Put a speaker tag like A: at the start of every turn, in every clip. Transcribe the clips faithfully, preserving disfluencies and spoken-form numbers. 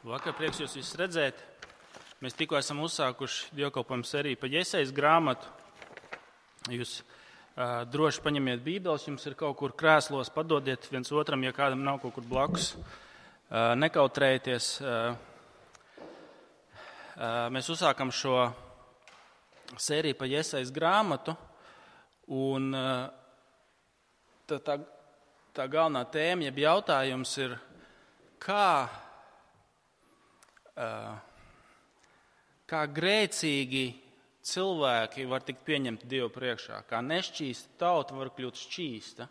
A: Vakar prieks jūs visus redzēt. Mēs tikko esam uzsākuši dievkalpojumu sēriju pa Jesajas grāmatu. Jūs uh, droši paņemiet bībeles, jums ir kaut kur krēslos, padodiet viens otram, ja kādam nav kaut kur blakus. Uh, nekautrējieties. Uh, uh, mēs uzsākam šo sēriju pa Jesajas grāmatu, un uh, tā, tā, tā galvenā tēma, jeb jautājums ir, kā Uh, kā grēcīgi cilvēki var tikt pieņemti Dievu priekšā, kā nešķīsta tauta var kļūt šķīsta.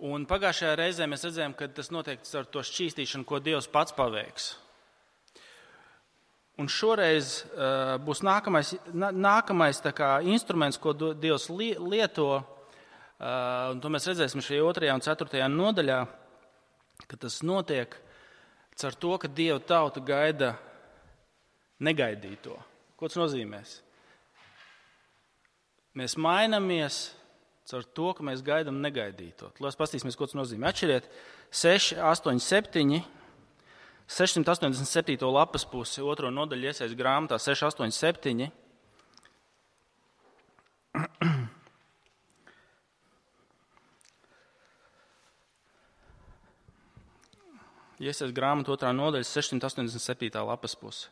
A: Un pagājušajā reizē mēs redzējām, ka tas notiek ar to šķīstīšanu, ko Dievs pats paveiks. Un šoreiz uh, būs nākamais, nā, nākamais tā kā instruments, ko Dievs li, lieto, uh, un to mēs redzēsim šajā otrajā un ceturtajā nodaļā, ka tas notiek ar to, ka Dieva tauta gaida negaidīto. Ko tas nozīmēs? Mēs mainamies ar to, ka mēs gaidām negaidīto. Lūdzu, paskatīsimies, ko tas nozīmē. Atšķiriet seši, astoņi, septiņi, sešsimt astoņdesmit septīto lapas pusi, otro nodaļu Jesajas grāmatā, seši, astoņi, septiņi. Jesajas grāmata otrā nodaļa, sešsimt astoņdesmit septītā lapas puse.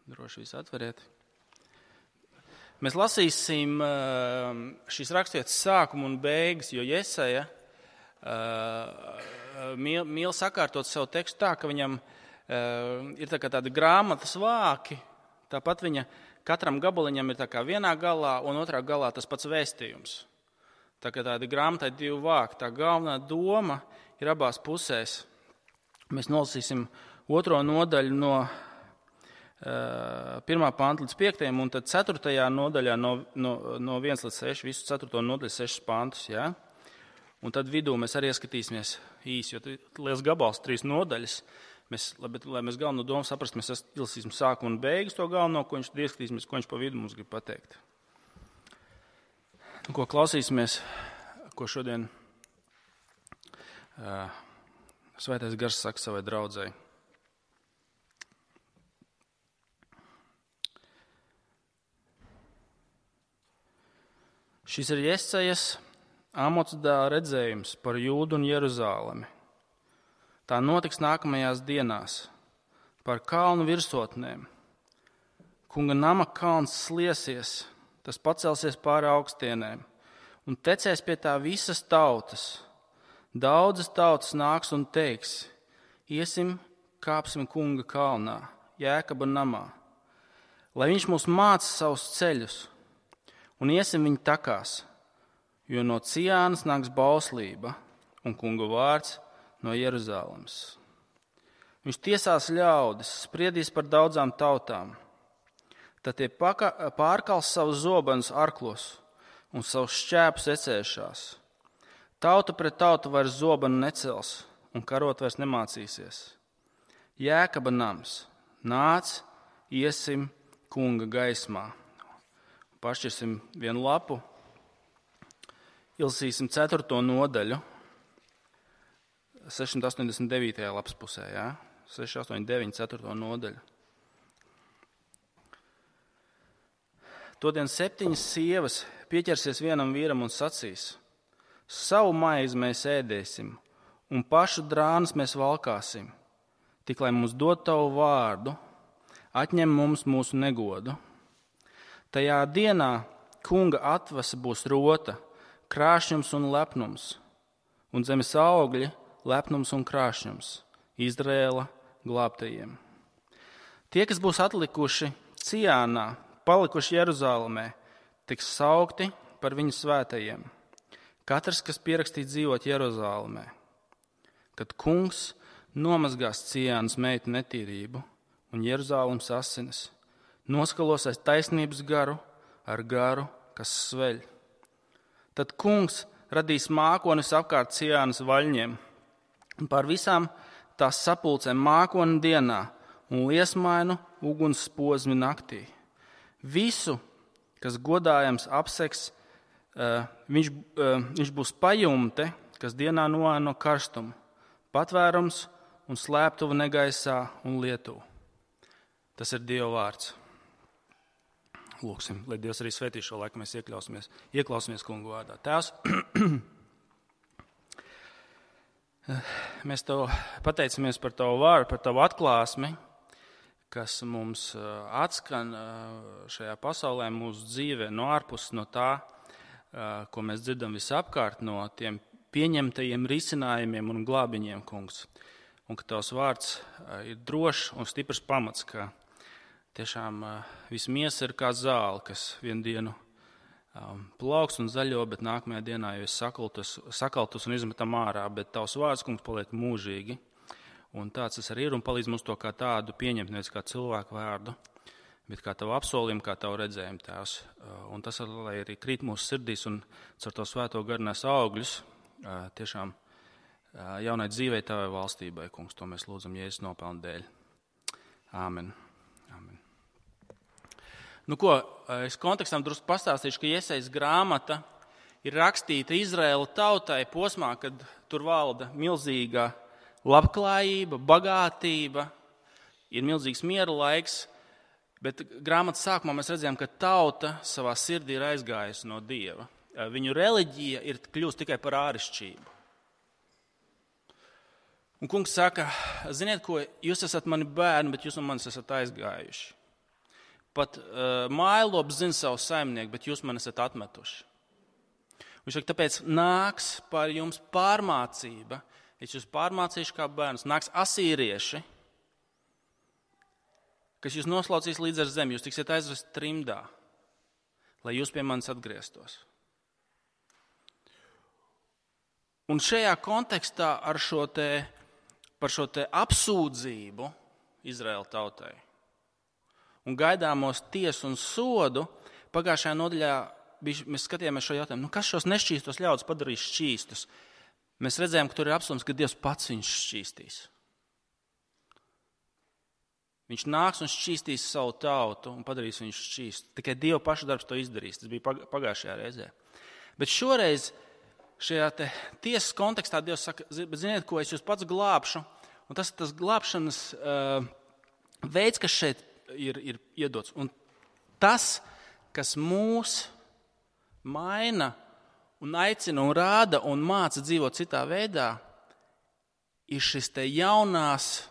A: Droši visu atveriet. Mēs lasīsim šīs raksturvietas sākumu un beigas, jo Jesaja mīl, mīl sakārtot savu tekstu tā, ka viņam ir tā kā tādi grāmatas vāki, tāpat viņa katram gabaliņam ir tā kā vienā galā un otrā galā tas pats vēstījums. Tā kā tādi grāmatai divi vāki, tā galvenā doma ir abās pusēs. Mēs nolasīsim otro nodaļu no uh, pirmā panta līdz piektajam, un tad ceturtajā nodaļā no, no, no viens līdz seši, visu ceturto nodaļu sešas pantus. Ja? Un tad vidū mēs arī ieskatīsimies īsi, jo liels gabals, trīs nodaļas. Mēs, bet, lai mēs galveno domu saprast, mēs izlasīsim sākumu un beigas to galveno, ko viņš ieskatīsimies, ko viņš pa vidu mums grib pateikt. Un, ko klausīsimies, ko šodien Uh, Svētais Gars saka savai draudzei. Šis ir Jesajas Amots dēla redzējums par Jūdu un Jeruzālemi. Tā notiks nākamajās dienās par kalnu virsotnēm. Kunga nama kalns sliesies, tas pacelsies pāri augstienēm un tecēs pie tā visas tautas. Daudzas tautas nāks un teiks, iesim, kāpsim Kunga kalnā, Jēkaba namā, lai viņš mūs māca savus ceļus, un iesim viņa takās, jo no Ciānas nāks bauslība, un Kunga vārds no Jeruzālemes. Viņš tiesās ļaudis, spriedīs par daudzām tautām, tad tie pārkals savus zobenus arklos un savus šķēpus ecēšās. Tauta pret tautu vairs zobenu necels un karot vairs nemācīsies. Jēkaba nams, nāc, iesim Kunga gaismā. Pašķirsim vienu lapu, ilsīsim ceturto nodaļu, sešsimt astoņdesmit devītajā lapas pusē, jā? seši, astoņi, deviņi, ceturto nodaļu. Todien septiņas sievas pieķersies vienam vīram un sacīs, savu maizi mēs ēdēsim, un pašu drānas mēs valkāsim, tik lai mums dod tavu vārdu, atņem mums mūsu negodu. Tajā dienā Kunga atvasa būs rota, krāšņums un lepnums, un zemes augļi lepnums un krāšņums, Izraēla glābtajiem. Tie, kas būs atlikuši Ciānā, palikuši Jeruzālemē, tiks saukti par viņu svētajiem. Katrs, kas pierakstīts dzīvot Jeruzālemē, kad Kungs nomazgās Ciānas meitu netīrību un Jeruzālemes asinis, noskalos aiz taisnības garu ar garu, kas sveļ. Tad Kungs radīs mākonis apkārt Ciānas vaļņiem un pār visām tās sapulcēm mākoni dienā un liesmainu uguns posmi naktī. Visu, kas godājams apseks, Uh, viņš, uh, viņš būs pajumte, kas dienā noēno karstumu, patvērums un slēptuva negaisā un lietuva. Tas ir Dieva vārds. Lūksim, lai Dievs arī svētī šo laiku, mēs ieklausimies, ieklausimies Kungu vārdā. Tēvs, mēs Tev pateicamies par Tavu vārdu, par Tavu atklāsmi, kas mums atskan šajā pasaulē, mūsu dzīvē, no ārpus, no tā, ko mēs dzirdam visapkārt, no tiem pieņemtajiem risinājumiem un glābiņiem, Kungs. Un ka Tavs vārds ir drošs un stiprs pamats, ka tiešām viss miesa ir kā zāle, kas vienu dienu plauks un zaļo, bet nākamajā dienā jau ir sakaltus, sakaltus un izmetam ārā, bet Tavs vārds, Kungs, paliek mūžīgi. Un tāds tas arī ir un palīdz mums to kā tādu pieņemt, nevis kā cilvēku vārdu, bet kā Tavu apsolījumu, kā Tavu redzējumu, Tēvs. Un tas, lai arī krīt mūsu sirdīs un caur to svēto garu nes augļus, tiešām jaunai dzīvei Tavai valstībai, Kungs, to mēs lūdzam Jēzus nopelnu dēļ. Āmen. Āmen. Nu ko, es kontekstam drusku pastāstīšu, ka Jesajas grāmata ir rakstīta Izraēla tautai posmā, kad tur valda milzīga labklājība, bagātība, ir milzīgs miera laiks, bet grāmatas sākumā mēs redzējām, ka tauta savā sirdī ir aizgājusi no Dieva. Viņu reliģija ir kļūst tikai par āršķirību. Un Kungs saka, ziniet ko, jūs esat mani bērni, bet jūs no manis esat aizgājuši. Pat uh, mājlops zina savu saimnieku, bet jūs man esat atmetuši. Viņš saka, tāpēc nāks par jums pārmācība, es jūs pārmācīšu kā bērnus, nāks asīrieši, kas jūs noslaucīs līdz ar zemi, jūs tiksiet aizvest trimdā, lai jūs pie manis atgrieztos. Un šajā kontekstā ar šo te, par šo te apsūdzību Izraēla tautai un gaidāmos tiesu un sodu, pagājušajā nodaļā mēs skatījāmies šo jautājumu, nu kas šos nešķīstos ļaudis padarīs šķīstus? Mēs redzējām, ka tur ir apsolījums, ka Dievs pats viņus šķīstīs. Viņš nāks un šķīstīs savu tautu un padarīs viņus šķīstu. Tikai Dieva paša darbs to izdarīs. Tas bija pagājušajā reizē. Bet šoreiz šajā te tiesas kontekstā Dievs saka, bet ziniet, ko es jūs pats glābšu. Un tas ir tas glābšanas uh, veids, kas šeit ir, ir iedots. Un tas, kas mūs maina un aicina un rāda un māca dzīvot citā veidā, ir šis te jaunās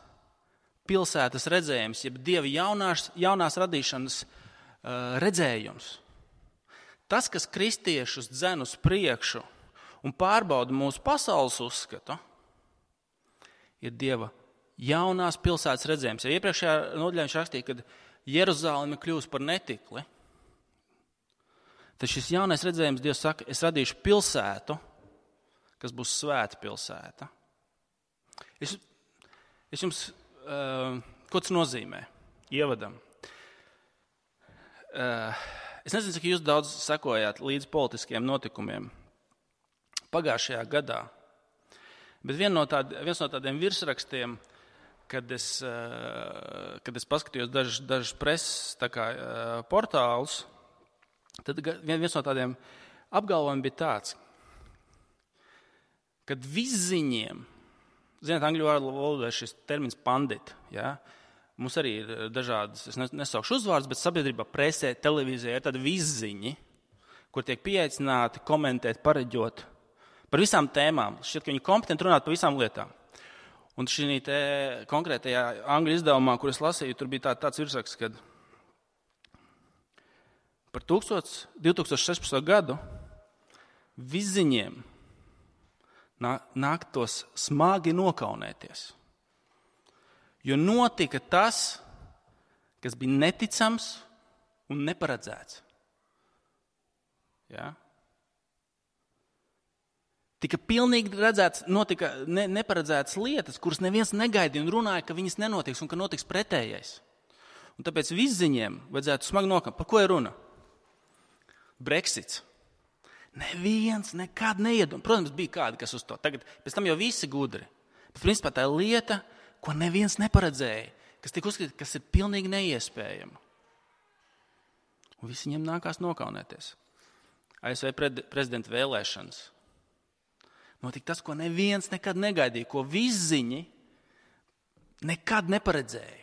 A: pilsētas redzējums, jeb Dieva jaunās, jaunās radīšanas uh, redzējums. Tas, kas kristiešus dzen uz priekšu un pārbauda mūsu pasaules uzskatu, ir Dieva jaunās pilsētas redzējums. Ja iepriekšējā nodaļā viņš rakstīja, kad Jeruzaleme kļūs par netikli, tad šis jaunais redzējums, Dievs saka, es radīšu pilsētu, kas būs svēta pilsēta. Es, es jums, uh, ko tas nozīmē? Ievadam. Uh, es nezinu, cik jūs daudz sekojāt līdz politiskiem notikumiem pagājušajā gadā, bet vien no tād, viens no tādiem virsrakstiem, kad es, uh, kad es paskatījos dažus daž preses tā kā, uh, portālus, tad viens no tādiem apgalvojumiem bija tāds, kad visziņiem, zināt, angļu valodā ir šis termins pandit, ja? Mums arī ir dažādas, es nesaukšu uzvārds, bet sabiedrībā, presē, televīzijā ir tādi visziņi, kur tiek pieaicināti komentēt, pareģot par visām tēmām. Šķiet, ka viņi kompetenti runāt par visām lietām. Un šī te konkrētajā angļu izdevumā, kur es lasīju, tur bija tā, tāds virsraksts, kad par divi tūkstoši sešpadsmito gadu visziņiem nāktos smagi nokaunēties. Jo notika tas, kas bija neticams un neparedzēts. Ja? Tika pilnīgi redzēts, notika ne, neparedzētas lietas, kuras neviens negaidīja un runāja, ka viņas nenotiks un ka notiks pretējais. Un tāpēc visziņiem vajadzētu smagi nokaunēt. Par ko ir runa? Brexits. Neviens nekad neiedomā. Protams, bija kādi, kas uz to. Tagad, pēc tam jau visi gudri. Bet principā tā ir lieta, ko neviens neparedzēja, kas tika uzskatīta, kas ir pilnīgi neiespējama. Un visi viņiem nākās nokaunēties. A S V prezidenta vēlēšanas. Notika tas, ko neviens nekad negaidīja, ko visziņi nekad neparedzēja.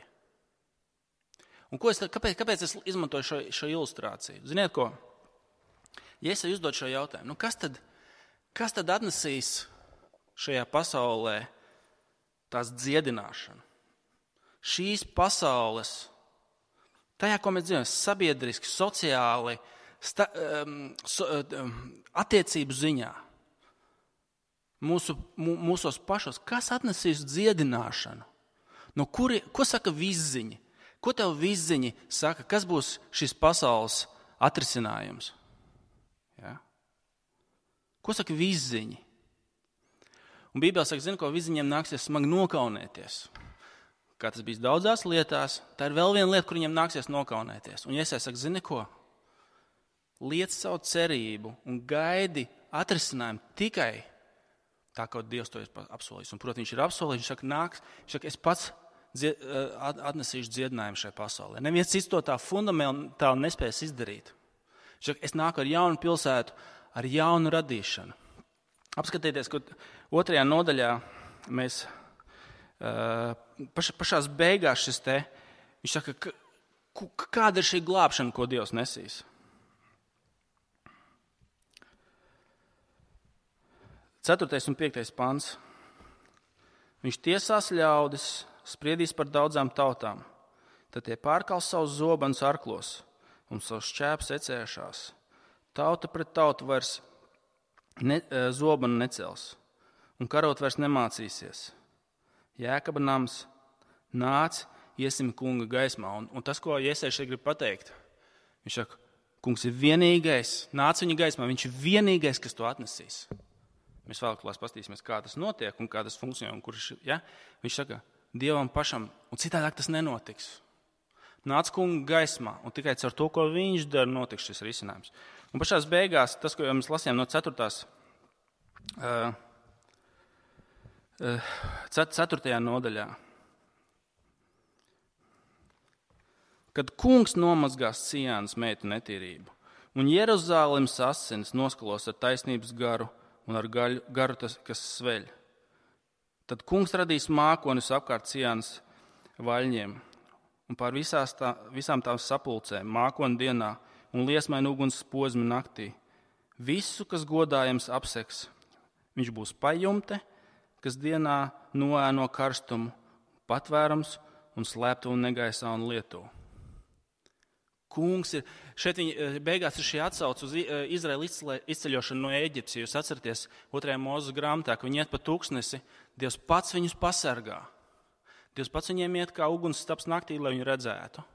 A: Un ko es, kāpēc, kāpēc es izmantoju šo, šo ilustrāciju? Ziniet ko? Ja es uzdod šo jautājumu, nu kas tad, kas tad atnesīs šajā pasaulē tās dziedināšanu? Šīs pasaules, tajā, ko mēs dzīvojam, sabiedriski, sociāli, sta, um, so, um, attiecību ziņā, mūsu, mū, mūsos pašos, kas atnesīs dziedināšanu? No kuri, ko saka visziņi? Ko tev visziņi saka? Kas būs šis pasaules atrisinājums? Ja? Ko saka visziņi? Un Bībelē saka, zini, ko visziņiem nāksies smagi nokaunēties. Kā tas bijis daudzās lietās, tā ir vēl viena lieta, kur viņiem nāksies nokaunēties. Un Iesai saka, zini ko? Liec savu cerību un gaidi atrisinājumu tikai tā, kā Dievs to ir apsolījis. Un, protams, viņš ir apsolījis, viņš saka, nāks, viņš saka, es pats dzied, atnesīšu dziedinājumu šai pasaulē. Neviens cits to tā fundamentāli nespēs izdarīt. Viņš saka, es nāku ar jaunu pilsētu, ar jaunu radīšanu. Apskatieties, ka otrajā nodaļā mēs paš, pašās beigās šis te, viņš saka, ka, kāda ir šī glābšana, ko Dievs nesīs. Ceturtais un piektais pants. Viņš tiesās ļaudis, spriedīs par daudzām tautām, tad tie pārkals savus zobenus arklos un savus šķēpus ecēšās. Tauta pret tautu vairs ne, zobenu necels un karot vairs nemācīsies. Jēkaba nams, nāc, iesim kunga gaismā. Un, un tas, ko Iesai šeit grib pateikt, viņš saka, kungs ir vienīgais, nāc viņa gaismā, viņš ir vienīgais, kas to atnesīs. Mēs vēlāk paskatīsimies, kā tas notiek un kā tas funkcionē. Un kurš, ja? Viņš saka, Dievam pašam, un citādāk tas nenotiks. Nāc kunga gaismā, un tikai caur to, ko viņš dara, notiks šis risinājums. Un pašās beigās, tas, ko mēs lasījām no ceturtās, uh, ceturtajā nodaļā. Kad kungs nomazgās Cijānas meitu netīrību, un Jeruzālemes asinis noskalos ar taisnības garu un ar gaļu, garu, tas, kas sveļ, tad kungs radīs mākonis apkārt Cijānas vaļņiem, un pār visās tā, visām tām sapulcēm mākoni dienā un liesmaini uguns posmi naktī. Visu, kas godājams apseks, viņš būs pajumte, kas dienā noēno karstumu, patvērums un slēptu un negaisā un lietu. Kungs ir, šeit viņi beigās ir šī atsauce uz Izraēlu izceļošanu no Ēģiptes. Ja jūs atceraties otrajā Mūzes grāmatā, ka viņi iet pa tūkstnesi, Dievs pats viņus pasargā. Dievs pats viņiem iet kā uguns staps naktī, lai viņu redzētu.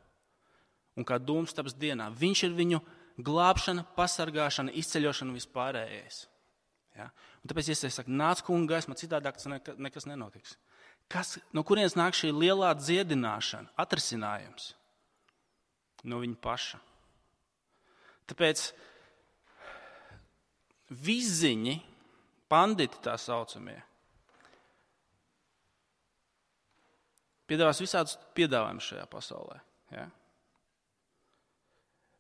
A: Un kā dūms staps dienā. Viņš ir viņu glābšana, pasargāšana, izceļošana vispārējais. Ja? Un tāpēc Iesai saka, nāc kunga gaismā, citādāk tas nekas nenotiks. Kas, no kurienes nāk šī lielā dziedināšana, atrisinājums? No viņa paša. Tāpēc visziņi, panditi tā saucamie, piedāvās visādus piedāvājumus šajā pasaulē. Ja?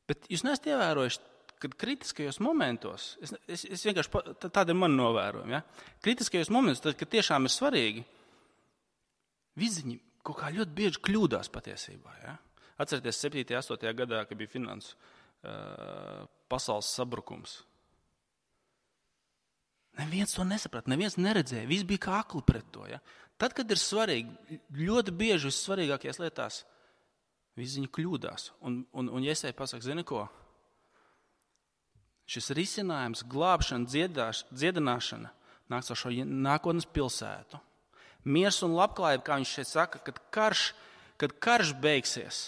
A: Bet jūs neesat ievērojuši, kad kritiskajos momentos, es, es, es vienkārši, tāda ir mana novērojuma, ja? Kritiskajos momentos, tad, kad tiešām ir svarīgi, visziņi kaut kā ļoti bieži kļūdās patiesībā. Ja? Atcerieties septītajā, astotajā gadā, kad bija finansu uh, pasaules sabrukums. Neviens to nesaprata, neviens neredzēja, viss bija kā akli pret to. Ja? Tad, kad ir svarīgi, ļoti bieži vissvarīgākajās lietās, visziņi kļūdās. Un, un, un Iesai pasaka, zini ko? Šis risinājums, glābšana, dziedāš, dziedināšana nāks ar šo nākotnes pilsētu. Miers un labklājība, kā viņš šeit saka, kad karš, kad karš beigsies.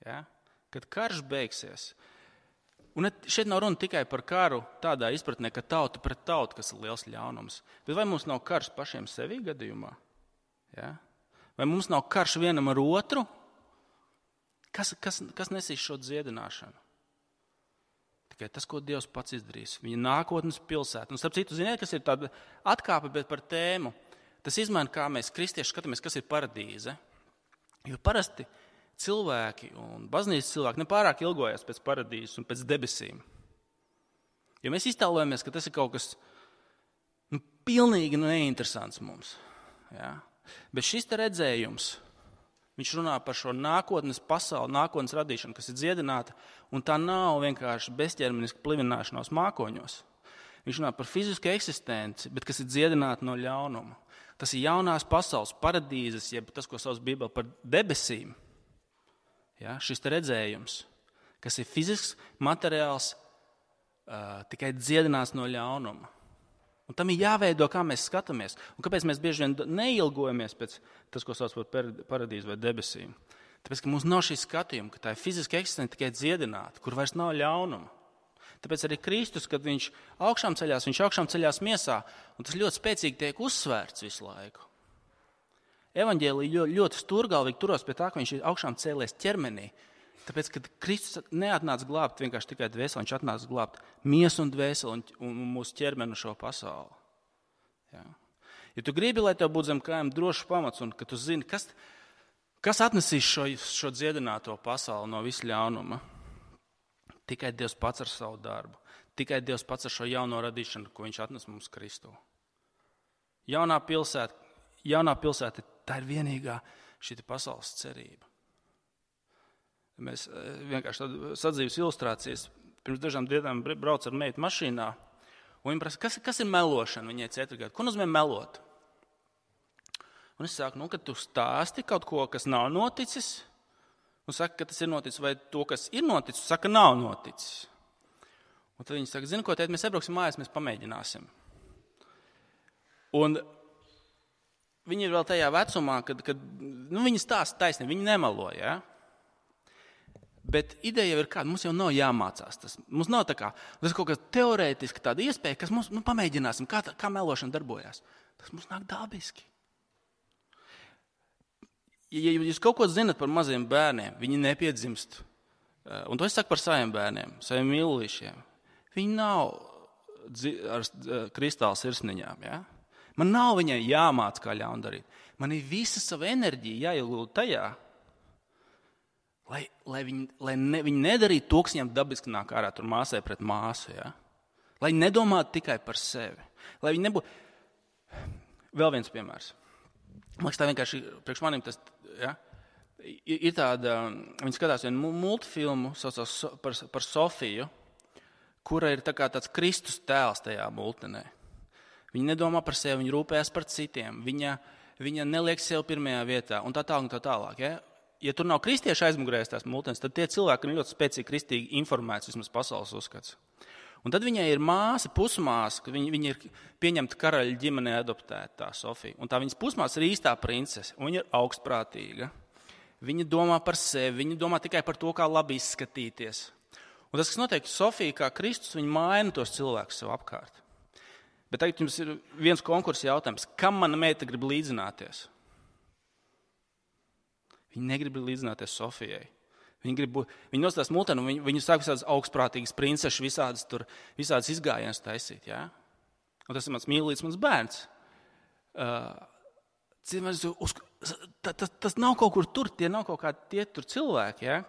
A: Ja? Kad karš beigsies. Un šeit nav runa tikai par karu tādā izpratnē, ka tauta pret tautu, kas ir liels ļaunums. Bet vai mums nav karš pašiem sevī gadījumā? Ja? Vai mums nav karš vienam ar otru? Kas, kas, kas nesīs šo dziedināšanu? Tikai tas, ko Dievs pats izdarīs. Viņa nākotnes pilsēta. Un starp citu, ziniet, kas ir tāda atkāpe, bet par tēmu. Tas izmaina, kā mēs kristieši skatāmies, kas ir paradīze. Jo parasti cilvēki un baznīcas cilvēki nepārāk ilgojas pēc paradīzes un pēc debesīm. Jo mēs iztēlojamies, ka tas ir kaut kas nu, pilnīgi neinteresants mums. Ja? Bet šis te redzējums, viņš runā par šo nākotnes pasauli, nākotnes radīšanu, kas ir dziedināta, un tā nav vienkārši bezķermeniska plivināšanās mākoņos. Viņš runā par fizisku eksistenci, bet kas ir dziedināta no ļaunuma. Tas ir jaunās pasaules paradīzes, jeb tas, ko sauc Bībele par debesīm. Ja? Šis te redzējums, kas ir fizisks, materiāls, uh, tikai dziedināts no ļaunuma. Un tam ir jāveido, kā mēs skatāmies. Un kāpēc mēs bieži vien neilgojamies pēc tas, ko sauc par paradīzi vai debesīm? Tāpēc, ka mums nav šī skatījuma, ka tā ir fiziska eksistence tikai dziedināta, kur vairs nav ļaunuma. Tāpēc arī Kristus, kad viņš augšām ceļās, viņš augšām ceļās miesā, un tas ļoti spēcīgi tiek uzsvērts visu laiku. Evaņģēlija ļoti, ļoti stūrgalvīgi turos pie tā, ka viņš ir augšām cēlies ķermenī. Tāpēc, kad Kristus neatnāca glābt vienkārši tikai dvēseli, viņš atnāca glābt miesu un dvēseli un, un mūsu ķermeni šo pasauli. Ja? Ja tu gribi, lai tev būtu zem kājām drošs pamats un ka tu zini, kas, kas atnesīs šo, šo dziedināto pasauli no visu ļaunuma, tikai Dievs pats ar savu darbu, tikai Dievs pats ar šo jauno radīšanu, ko viņš atnes mums Kristu. Jaunā pilsēta, jaunā pilsēta, tā ir vienīgā šī pasaules cerība. Mēs vienkārši tādu sadzīves ilustrācijas. Pirms dažām dienām brauc ar meitu mašīnā, un viņa prasa, kas, kas ir melošana? Viņai četri gadi. Ko nozīmē melot? Un es saku, nu, ka tu stāsti kaut ko, kas nav noticis, un saka, ka tas ir noticis, vai to, kas ir noticis, saka, nav noticis. Un tad viņi saka, zini, ko tēt, mēs iebrauksim mājās, mēs pamēģināsim. Un viņi ir vēl tajā vecumā, kad, kad nu, viņi stāsta taisnību, viņi nemelo, ja? Bet ideja jau ir kāda, mums jau nav jāmācās tas. Mums nav tā kā, tas kaut kas teorētiski tāda iespēja, kas mums, nu, pamēģināsim, kā, tā, kā melošana darbojās. Tas mums nāk dabiski. Ja jūs kaut ko zinat par maziem bērniem, viņi nepiedzimst, un to es saku par saviem bērniem, saviem mīlīšiem, viņi nav ar kristāla sirsniņām, ja? Man nav viņai jāmāc, kā ļaundarīt. Man ir visa sava enerģija jāiegulda tajā, lai, lai, viņi, lai ne, viņi nedarītu to, kas viņam dabiski nāk ārā tur māsai pret māsu. Ja? Lai viņi nedomātu tikai par sevi. Lai viņi nebūtu... Vēl viens piemērs. Man liekas, tā vienkārši priekš manim tas... Ja? Ir tāda... Viņi skatās vienu multfilmu saucās par, par Sofiju, kura ir tā kā tāds Kristus tēls tajā multenē. Viņa nedomā par sevi, viņa rūpējas par citiem. Viņa, viņa neliek sev pirmajā vietā un tā tālāk un tā tālāk. Ja? Ja tur nav kristieši aizmugurēs tās multenes, tad tie cilvēki ir ļoti spēcīgi kristīgi informēts, vismaz pasaules uzskats. Un tad viņai ir māsa, pusmāsa, ka viņa, viņa ir pieņemta karaļa ģimenē adoptēta, tā Sofija. Un tā viņas pusmāsa ir īstā princese, un viņa ir augstprātīga. Viņa domā par sevi, viņa domā tikai par to, kā labi izskatīties. Un tas, kas notiek, Sofija kā Kristus, viņa maina tos cilvēkus sev apkārt. Bet tagad jums ir viens konkursa jautājums. Kam mana meita grib līdzināties? Viņi negrib līdzināties Sofijai. Viņi, grib, viņi nostās multeni un viņi, viņi sāk visādas augstprātīgas princešas, visādas, tur, visādas izgājienas taisīt. Ja? Un tas ir mans mīlīgs, mans bērns. Uh, uz, tas, tas, tas nav kaut kur tur, tie nav kaut kādi tie tur cilvēki. Ja?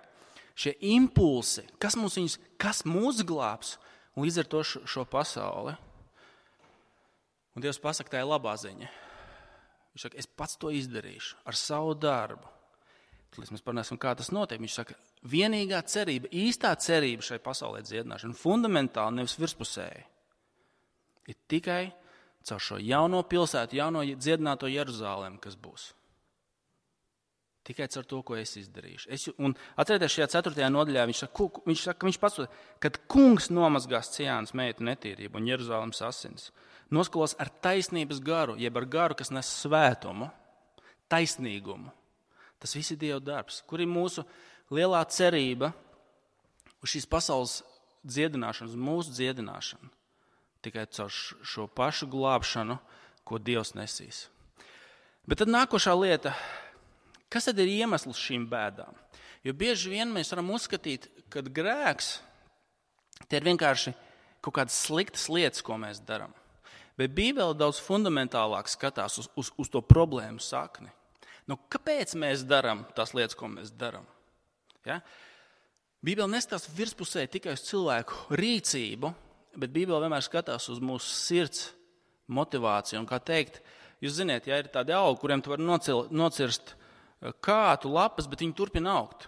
A: Šie impulsi, kas, mums viņus, kas mūs glābs un līdz ar to šo, šo pasauli. Un Dievs pasaka, tā ir labā ziņa. Viņš saka, es pats to izdarīšu ar savu darbu. Tad mēs parunāsim, kā tas notiek. Viņš saka, vienīgā cerība, īstā cerība šai pasaulē dziedināšana, fundamentāli nevis virspusēji, ir tikai caur šo jauno pilsētu, jauno dziedināto Jeruzālēm, kas būs. Tikai caur to, ko es izdarīšu. Es, un atcerieties, šajā ceturtajā nodaļā viņš saka, viņš saka, viņš pats, kad kungs nomazgās Ciānas meitu netīrību un Jeruzālēmas asins, noskalos ar taisnības garu, jeb ar garu, kas nes svētumu, taisnīgumu. Tas viss ir Dieva darbs, kur ir mūsu lielā cerība uz šīs pasaules dziedināšanu, uz mūsu dziedināšanu. Tikai caur šo pašu glābšanu, ko Dievs nesīs. Bet tad nākošā lieta, kas tad ir iemesls šīm bēdām? Jo bieži vien mēs varam uzskatīt, ka grēks tie ir vienkārši kaut kādas sliktas lietas, ko mēs darām. Bet Bībele daudz fundamentālāk skatās uz, uz, uz to problēmu sakni. Nu, kāpēc mēs darām tās lietas, ko mēs darām? Ja? Bībele neskatās virspusē tikai uz cilvēku rīcību, bet Bībele vienmēr skatās uz mūsu sirds motivācija. Un kā teikt, jūs ziniet, ja ir tādi augi, kuriem tu vari nocil, nocirst kātu lapas, bet viņi turpina augt.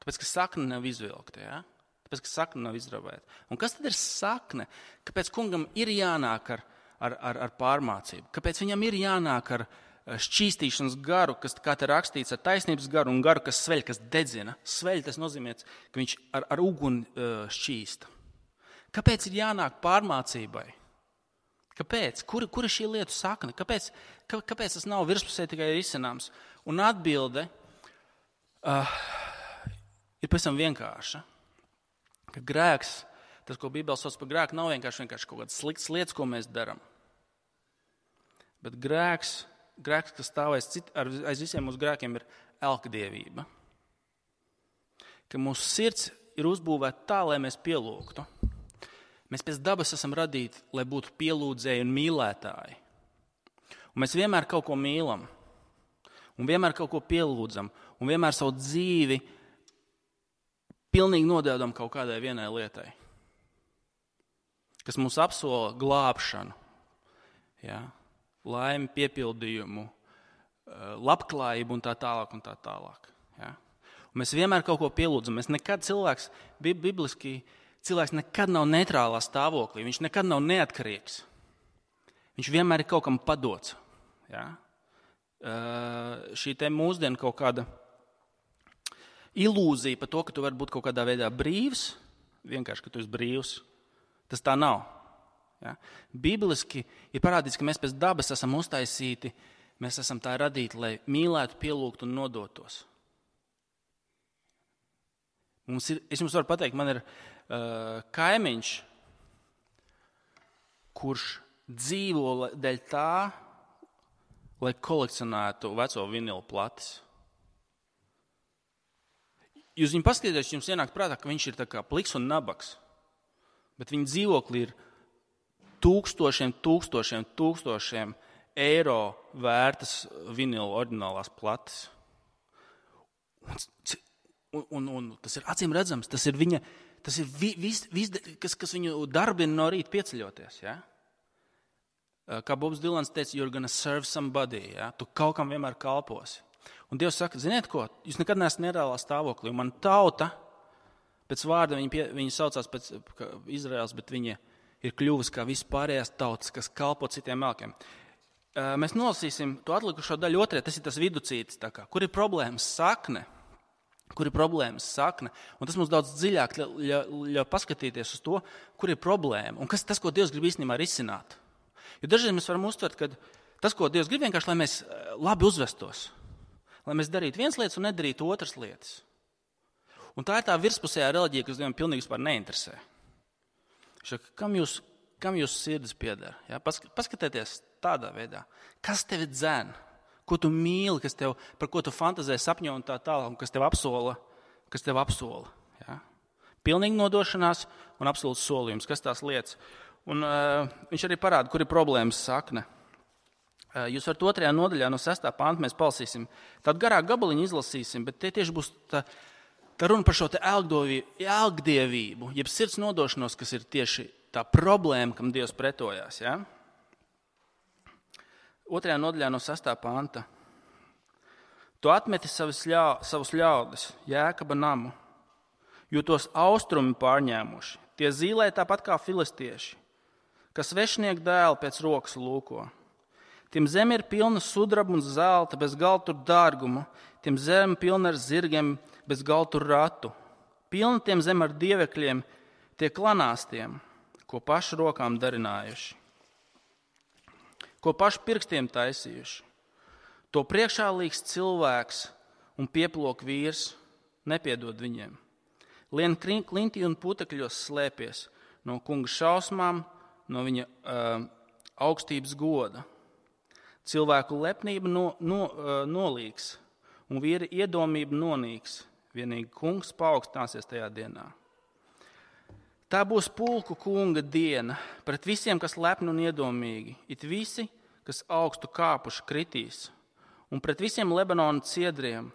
A: Tāpēc, ka sakne nav izvilkta, ja? Tāpēc, ka sakne nav izravēta. Un kas tad ir sakne? Kāpēc kungam ir jānāk ar, ar, ar, ar pārmācību? Kāpēc viņam ir jānāk ar šķīstīšanas garu, kas, kā te rakstīts, ar taisnības garu un garu, kas sveļ, kas dedzina? Sveļ, tas nozīmē, ka viņš ar, ar uguni šķīsta. Kāpēc ir jānāk pārmācībai? Kāpēc? Kur, kur ir šī lietu sakne? Kāpēc, kā, kāpēc tas nav virspusē tikai risināms? Un atbilde uh, ir pavisam vienkārša. Ka grēks, tas, ko Bībele sauc par grēku, nav vienkārši, vienkārši kaut kādas sliktas lietas, ko mēs darām. Bet grēks, grēks kas stāv aiz, cit, aiz visiem mūsu grēkiem, ir elkdievība. Ka mūsu sirds ir uzbūvēta tā, lai mēs pielūgtu. Mēs pēc dabas esam radīti, lai būtu pielūdzēji un mīlētāji. Un mēs vienmēr kaut ko mīlam. Un vienmēr kaut ko pielūdzam. Un vienmēr savu dzīvi pilnīgi nodēdam kaut kādai vienai lietai. Kas mums apsola glābšanu. Ja? Laimi, piepildījumu, labklājību un tā tālāk un tā tālāk. Ja? Un mēs vienmēr kaut ko pielūdzam. Mēs nekad cilvēks, bibliski, cilvēks nekad nav neitrālā stāvoklī, viņš nekad nav neatkarīgs. Viņš vienmēr ir kaut kam padots. Ja? Uh, šī te mūsdiena kaut kāda ilūzija par to, ka tu vari būt kaut kādā veidā brīvs, vienkārši, ka tu esi brīvs, tas tā nav. Ja? Bibliski ir parādīts, ka mēs pēc dabas esam uztaisīti, mēs esam tā radīti, lai mīlētu, pielūgtu un nodotos. Mums ir, es jums varu pateikt, man ir uh, kaimiņš, kurš dzīvo dēļ tā, lai kolekcionētu veco vinilu plates. Jūs viņu paskatieties, jums ienāk prātā, ka viņš ir tā kā pliks un nabaks, bet viņa dzīvokli ir tūkstošiem, tūkstošiem, tūkstošiem eiro vērtas vinilu oriģinālās plates. Un, Un, un, un tas ir acīm redzams, tas ir viņa, tas ir vi, vis, vis, kas, kas viņu darbina no rīta pieceļoties. Ja? Kā Bobs Dilans teica, you're gonna serve somebody, ja? Tu kaut kam vienmēr kalposi. Un Dievs saka, ziniet ko, jūs nekad neesat nereālā stāvoklī, un man tauta, pēc vārda viņa, pie, viņa saucās pēc Izraels, bet viņa ir kļuvusi kā vispārējās tautas, kas kalpo citiem elkiem. Mēs nolasīsim to atlikušo daļu otrē, tas ir tas viducītis, tā kā, kur ir problēmas sakne. Kur ir problēmas sakne, un tas mums daudz dziļāk ļauj paskatīties uz to, kur ir problēma, un kas tas, ko Dievs grib īstenībā risināt. Jo dažreiz mēs varam uztvert, ka tas, ko Dievs grib, vienkārši, lai mēs labi uzvestos, lai mēs darītu viens lietas un nedarītu otras lietas. Un tā ir tā virspusējā reliģija, kas Dievam pilnīgi vispār neinteresē. Šak, kam jūs, kam jūs sirds pieder? Ja? Paskatieties tādā veidā, kas tevi dzēn? Ko tu mīli, kas tev, par ko tu fantazē, sapņo un tā tālāk, un kas tev apsola, kas tev apsola. Ja? Pilnīgi nodošanās un absolūts solījums, kas tās lietas. Un uh, viņš arī parāda, kur ir problēmas sakne. Uh, jūs varat otrajā nodaļā no sestā panta mēs palasīsim. Tādu garāku gabaliņu izlasīsim, bet tie tieši būs tā, tā runa par šo te elgdievību, jeb sirds nodošanos, kas ir tieši tā problēma, kam Dievs pretojās. Ja? Otrajā nodaļā no sestā panta. Tu atmeti savus, ļau, savus ļaudis, Jēkaba namu, jo tos austrumi pārņēmuši. Tie zīlē tāpat kā filistieši, kas svešnieku dēli pēc rokas lūko. Tiem zeme ir pilna sudraba un zelta, bez galtu dārgumu. Tiem zeme pilna ar zirgiem, bez galtu ratu. Pilna tiem zeme ar dievekļiem, tie klanāstiem, ko pašu rokām darinājuši. Ko paši pirkstiem taisījuši. To priekšā līgs cilvēks un pieplok vīrs nepiedod viņiem. Lien klintī un putekļos slēpies no kunga šausmām, no viņa uh, augstības goda. Cilvēku lepnība no, no, uh, nolīgs un vīra iedomība nonīks. Vienīgi kungs paaugstināsies tajā dienā. Tā būs pulku kunga diena pret visiem, kas lepni un iedomīgi. It visi, kas augstu kāpuši, kritīs. Un pret visiem Lebanona ciedriem,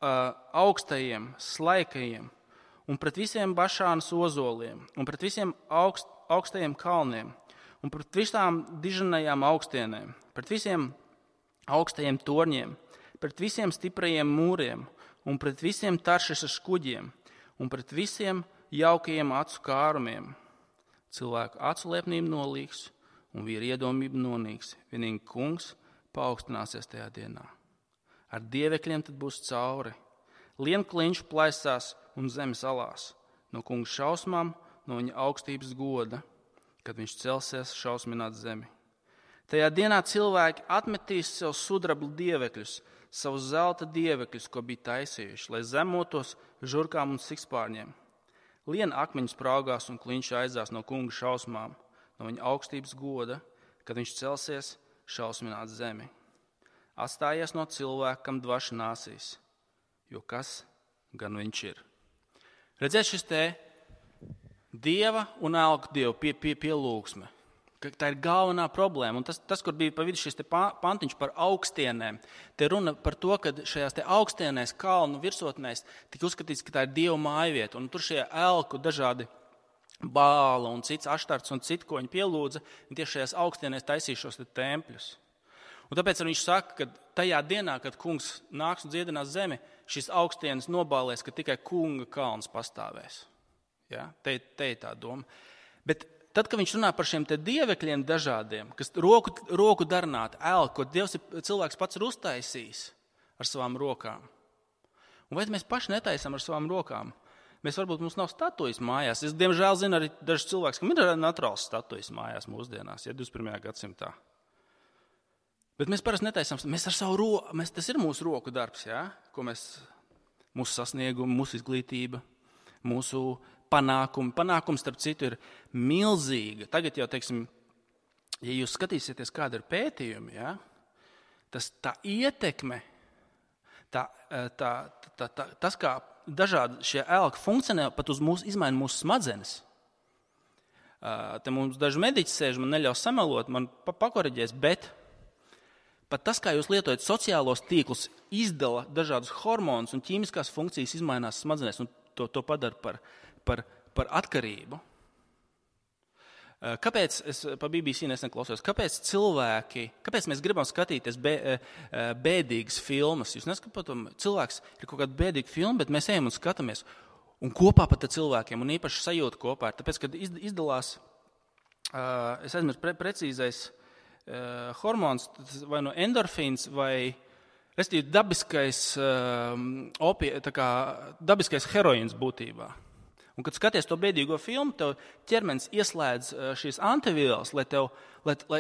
A: augstajiem, slaikajiem, un pret visiem Bašānas ozoliem, un pret visiem augst, augstajiem kalniem, un pret visām diženajām augstienēm, pret visiem augstajiem torņiem, pret visiem stiprajiem mūriem un pret visiem Taršisas kuģiem un pret visiem jaukajiem acu kārumiem. Cilvēku acu lepnība nolīgs un vīra iedomība nonīks. Vienīgi kungs paaugstināsies tajā dienā. Ar dievekļiem tad būs cauri. Lienkliņš plaisās un zemes alās. No kunga šausmām, no viņa augstības goda, kad viņš celsies šausmināt zemi. Tajā dienā cilvēki atmetīs sev sudrablu dievekļus, savus zelta dievekļus, ko bija taisījuši, lai zemotos žurkām un sikspārņiem. Liena akmeņus spraugās un kliņš aizās no kunga šausmām, no viņa augstības goda, kad viņš celsies šausmināt zemi. Atstājies no cilvēka, kam dvaša nāsīs, jo kas gan viņš ir. Redziet, šis te dieva un elku dievu pie, pie, pielūgsme. Tā ir galvenā problēma. Un tas, tas, kur bija pa vidu šis te pantiņš par augstienēm, te runa par to, ka šajās te augstienēs, kalnu virsotnēs, tika uzskatīts, ka tā ir dieva mājvieta. Un tur šie elku dažādi bāla un cits aštarts un citi, ko viņi pielūdza, un tieši šajās augstienēs taisīja šos te tempļus. Un tāpēc viņš saka, ka tajā dienā, kad kungs nāks un dziedinās zemi, šis augstienes nobālēs, ka tikai kunga kalns pastāvēs. Ja? Te, te ir tā doma. Bet tad, kad viņš runā par šiem te dievekļiem dažādiem, kas roku, roku darnāt, elku, ko Dievs ir, cilvēks pats ir uztaisījis ar savām rokām. Un vai mēs paši netaisam ar savām rokām? Mēs varbūt mums nav statujas mājās. Es, diemžēl, zinu arī dažs cilvēks, kam ir naturāls statujas mājās mūsdienās, ja divdesmit pirmajā gadsimtā. Bet mēs parasti netaisam, mēs ar savu roku, mēs, tas ir mūsu roku darbs, ja? Ko mēs, mūsu sasniegumi, mūsu izglītība, mūsu panākumi. Panākums, starp citu, ir milzīga. Tagad jau, teiksim, ja jūs skatīsieties, kāda ir pētījumi, ja? Tas tā ietekme, tā, tā, tā, tā, tas, kā dažādi šie elki funkcionē, pat uz mūsu, izmaina mūsu smadzenes. Te mums daži mediķi sēž, man neļaus samelot, man pakoriģēs, bet pat tas, kā jūs lietojat sociālos tīklus, izdala dažādus hormonus un ķīmiskās funkcijas izmainās smadzenēs un to, to padara par, par, par atkarību. Kāpēc, es pa B B C nesen klausos, kāpēc cilvēki, kāpēc mēs gribam skatīties bē, bēdīgas filmas? Jūs neskatot, cilvēks ir kaut kāda bēdīga filma, bet mēs ejam un skatāmies. Un kopā pat ar cilvēkiem, un īpaši sajūta kopā. Tāpēc, kad izdalās, es aizmirstu pre, precīzais uh, hormons, vai no endorfīns, vai restīvi dabiskais, uh, opie, tā kā, dabiskais heroīns būtībā. Un, kad skaties to bēdīgo filmu, tev ķermenis ieslēdz šīs antivielas, lai tev, lai, lai,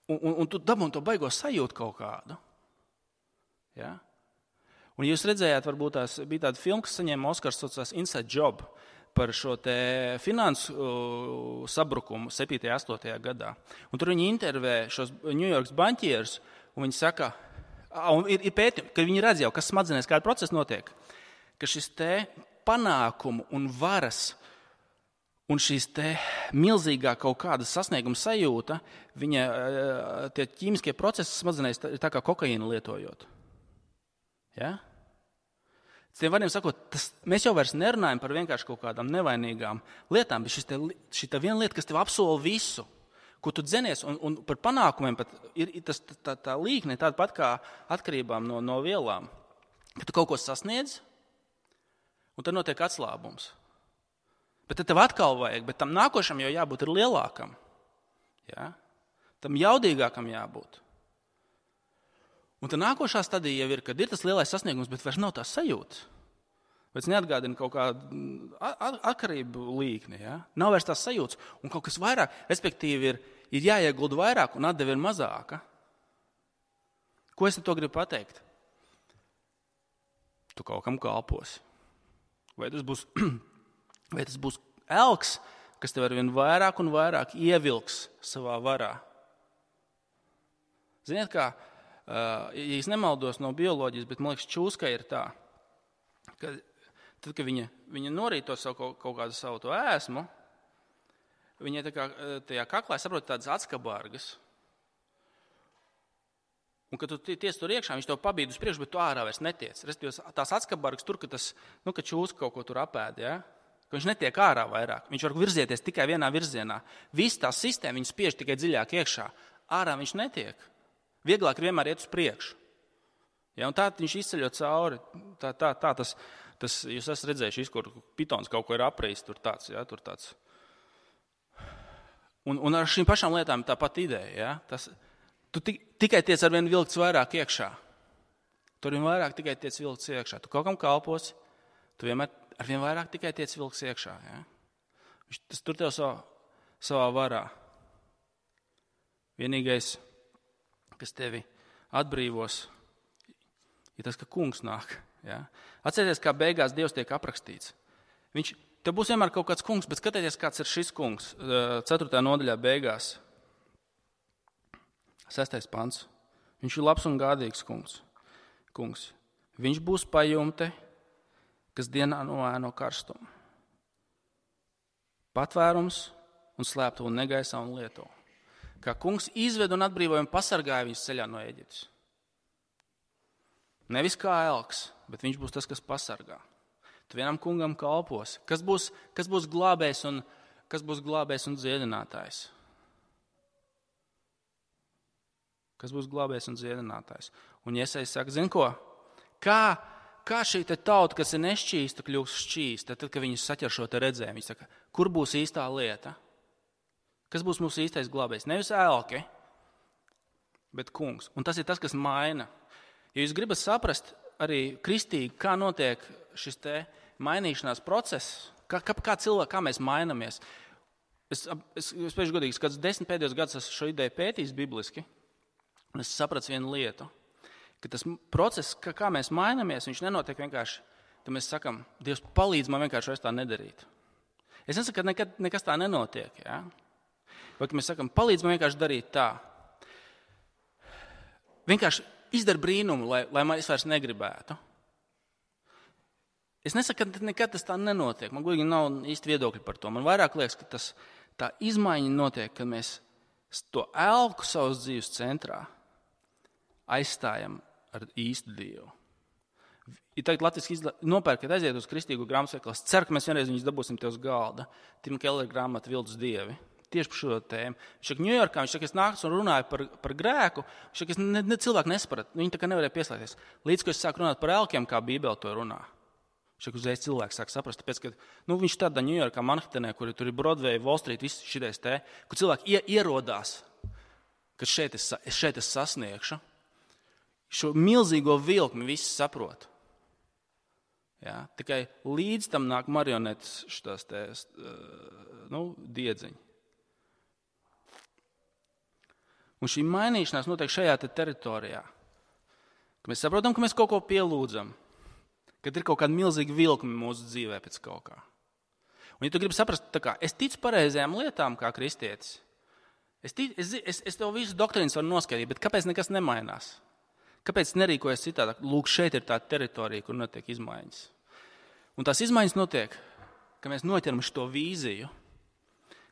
A: un, un, un tu dabūni to baigo sajūtu kaut kādu. Ja? Un jūs redzējāt, varbūt tās bija tāda filma, kas saņēma Oskars, saucās Inside Job, par šo te finansu uh, sabrukumu septītajā, astotajā gadā. Un tur viņi intervē šos New Yorks baņķierus, un viņi saka, un ir, ir pētījumi, ka viņi redz jau, kas smadzenēs, kāda procesa notiek, ka šis te panākumu un varas un šīs te milzīgā kaut kāda sasnieguma sajūta, viņa tie ķīmiskie procesi smadzenēs ir tā kā kokaīnu lietojot. Ja? Tiem vārdiem sakot, tas, mēs jau vairs nerunājam par vienkārši kaut kādām nevainīgām lietām, bet šis te, šī tā viena lieta, kas tev apsola visu, ko tu dzenies, un, un par panākumiem pat ir, ir tas, tā, tā līkne tāda pat kā atkarībām no, no vielām, ka tu kaut ko sasniedz, un tad notiek atslābums. Bet tad tev atkal vajag, bet tam nākošam jau jābūt ir lielākam. Ja? Tam jaudīgākam jābūt. Un tad nākošā stadija jau ir, kad ir tas lielais sasniegums, bet vairs nav tās sajūtas. Vairs neatgādina kaut kādu atkarību līkni. Ja? Nav vairs tās sajūtas. Un kaut kas vairāk, respektīvi, ir, ir jāiegulda vairāk un atdeve ir mazāka. Ko es to gribu pateikt? Tu kaut kam kalposi. Vai tas būs, vai tas būs elks, kas tev arvien vairāk un vairāk ievilks savā varā? Ziniet kā, ja es nemaldos no bioloģijas, bet man liekas, čūskai ir tā, ka tad, kad viņa, viņa norīto savu kaut, kaut kādu savu to ēsmu, viņai tā kā tajā kaklā saprot tādas atskabargas. Un, kad tu tiec tur iekšā, viņš tev pabīd uz priekšu, bet tu ārā vairs netiec. Restīvi, tās atskabargas tur, ka tas, nu, ka čūska kaut ko tur apēd, ja? ka viņš netiek ārā vairāk. Viņš var virzieties tikai vienā virzienā. Viss tā sistēma viņu spiež tikai dziļāk iekšā. Ārā viņš netiek. Vieglāk ir vienmēr iet uz priekšu. Ja, un tā viņš izceļot cauri. Tā, tā, tā tas, tas, jūs esat redzējuši, kur pitons kaut ko ir aprījis, tur tāds, ja, tur tāds. Un, un ar šīm pašām lietām tā pat ideja. Ja, tas, tu tik, tikai tiec ar vienu vilkts vairāk iekšā. Tur vien vairāk tikai tiec vilkts iekšā. Tu kaut kam kalposi, tu vienmēr ar vien vairāk tikai tiec vilkts iekšā. Ja. Tas tur tev savā, savā varā. Vienīgais, kas tevi atbrīvos, ir tas, ka kungs nāk. Ja. Atcerieties, kā beigās Dievs tiek aprakstīts. Viņš, tev būs vienmēr kaut kāds kungs, bet skatieties, kāds ir šis kungs. ceturtajā nodaļā beigās. Sestais pants. Viņš ir labs un gādīgs kungs. kungs. Viņš būs pajumte, kas dienā noēno karstumu. Patvērums un slēptuve negaisā un lieto. Kā kungs izved un atbrīvoja un pasargāja viņus ceļā no Ēģiptes. Nevis kā elks, bet viņš būs tas, kas pasargā. Tu vienam kungam kalposi. Kas būs, kas būs glābējs un, kas būs glābējs un dziedinātājs? Kas būs glābējs un dziedinātājs? Un Jesajs saka, zin ko? Kā, kā šī te tauta, kas ir nešķīsta, kļūst šķīsta, tad, kad viņi saķer šo te redzējumu, viņi saka, kur būs īstā lieta? Kas būs mūsu īstais glābējs? Nevis elki, bet kungs. Un tas ir tas, kas maina. Ja jūs gribat saprast arī kristīgi, kā notiek šis te mainīšanās process, kā, kā, kā cilvēki, kā mēs mainamies. Es, es, es pēdējos godīgi, kāds desmit pēdējos gadus esmu šo ideju pētījis bibliski, un es sapratu vienu lietu, ka tas process, kā, kā mēs mainamies, viņš nenotiek vienkārši, tad mēs sakam, Dievs palīdz man vienkārši vairs tā nedarīt. Es nesaku, ka nekad, nekas tā nenotiek, ja? Vai ka mēs sakam, palīdz man vienkārši darīt tā. Vienkārši izdara brīnumu, lai, lai man es vairs negribētu. Es nesaku, ka nekad tas tā nenotiek. Man godīgi nav īsti viedokļi par to. Man vairāk liekas, ka tas, tā izmaiņa notiek, kad mēs to elku savas dzīves centrā aizstājam ar īstu Dievu. Ja tagad latviski izla... nopērkat, aiziet uz kristīgu grāmatveikalu, es ceru, ka mēs vienreiz viņus dabūsim te uz galda. Tim Keller grāmata Viltus dievi. Tieši par šo tēmu. Viņš saka, Ņujorkā, viņš saka, es nāku un runāju par, par grēku. Viņš saka, es ne, ne, cilvēku nesapratu. Viņi tā kā nevarēja pieslēgties. Līdz, ko es sāku runāt par elkiem, kā Bībele to runā. Viņš saka, uzreiz cilvēks sāk saprast. Tāpēc, ka nu, viņš tādā Ņujorkā, Manhatanē, kur tur ir Broadway, Wall Street, viss šitais te, kur cilvēki ie, ierodās, ka šeit es, šeit es sasniegšu. Šo milzīgo vilkmi visi saprot. Ja? Tikai līdz tam nāk marionetes šitās te, nu, diedziņi. Un šī mainīšanās notiek šajā te teritorijā. Ka mēs saprotam, ka mēs kaut ko pielūdzam, kad ir kaut kāda milzīga vilkme mūsu dzīvē pēc kaut kā. Un ja tu gribi saprast, tā kā es ticu pareizajām lietām kā kristietis, es, tic, es, es, es tev visu doktrīnas varu noskaidrot, bet kāpēc nekas nemainās? Kāpēc nerīkojas citādāk? Lūk, šeit ir tā teritorija, kur notiek izmaiņas. Un tās izmaiņas notiek, ka mēs noķeram šo vīziju,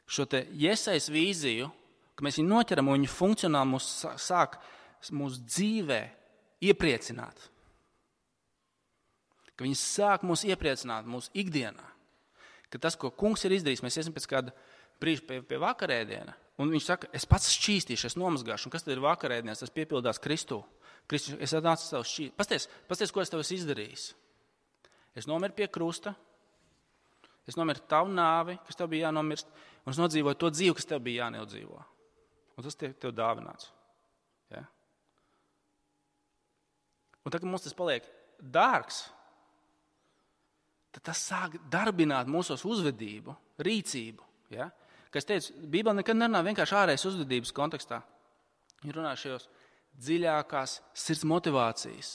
A: šo te Jesajas vīziju, ka mēs viņu noķeram un viņu funkcionāli mūs sāk mūsu dzīvē iepriecināt. Ka viņi sāk mūs iepriecināt mūsu ikdienā. Ka tas, ko kungs ir izdarījis, mēs esam pēc kāda brīža pie, pie vakarēdiena, un viņš saka, es pats šķīstīšu, es nomazgāšu, un kas tad ir vakarēdienas, tas piepildās Kristū. Kristus, es atnācu savu šķīst. Pasties, pasties, ko es tev esmu izdarījis. Es nomiru pie krusta, es nomiru tavu nāvi, kas tev bija jānomirst, un es nodzīvoju to dzīvi, kas tev bija jānodzīvo. Un tas tiek tev dāvināts. Ja? Un tad, kad mums tas paliek dārgs, tad tas sāk darbināt mūsos uzvedību, rīcību. Ja? Kā es teicu, Bībele nekad nerunā vienkārši ārējas uzvedības kontekstā. Viņa runā šajos dziļākās sirds motivācijas,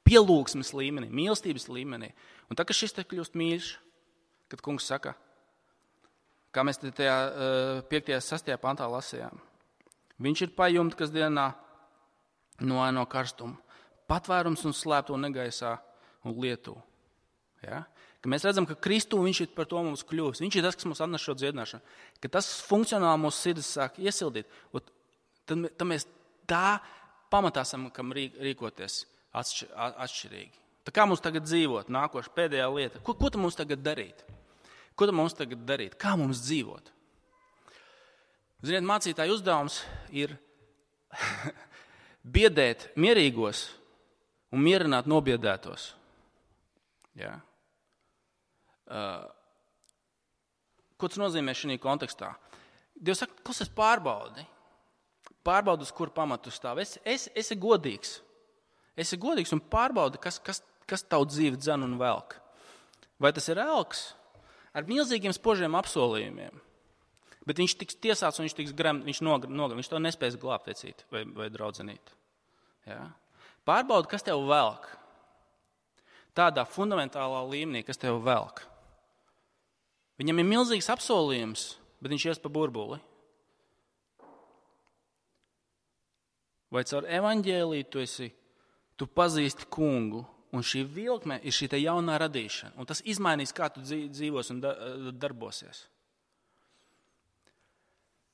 A: pielūgsmes līmenī, mīlestības līmenī. Un tad, kad šis te kļūst mīļš, kad kungs saka, kā mēs tajā piektajā sastajā pantā lasījām, viņš ir pajumte, kas dienā noēno karstumu, patvērums un slēptuve negaisā un lietu. Ja? Ka mēs redzam, ka Kristū viņš ir par to mums kļuvis. Viņš ir tas, kas mums atnes šo dziedināšanu. Ka tas funkcionāli mūsu sirdis sāk iesildīt. Tad, tad mēs tā pamatā esam, kam rīkoties atšķirīgi. Tā kā mums tagad dzīvot, nākoša pēdējā lieta. Ko, ko tad mums tagad darīt? Ko tad mums tagad darīt? Kā mums dzīvot? Ziniet, mācītāja uzdevums ir biedēt mierīgos un mierināt nobiedētos. Ja? Uh, ko tas nozīmē šajā kontekstā? Dievs saka, kas es pārbaudi? Pārbaudi, uz kur pamatu stāv. Es, es, esi godīgs. Esi godīgs un pārbaudi, kas, kas, kas tavu dzīvi dzen un velk. Vai tas ir elks ar milzīgiem spožiem apsolījumiem? Bet viņš tiks tiesāts un viņš tiks gremt, viņš nogr, nogr, viņš to nespēs glābt vecīt vai, vai draudzenīt. Ja? Pārbaudi, kas tev velk. Tādā fundamentālā līmenī, kas tev velk. Viņam ir milzīgs apsolījums, bet viņš ies pa burbuli. Vai caur evaņģēliju tu esi, tu pazīsti kungu, un šī vilkme ir šī te jaunā radīšana, un tas izmainīs, kā tu dzīvos un darbosies.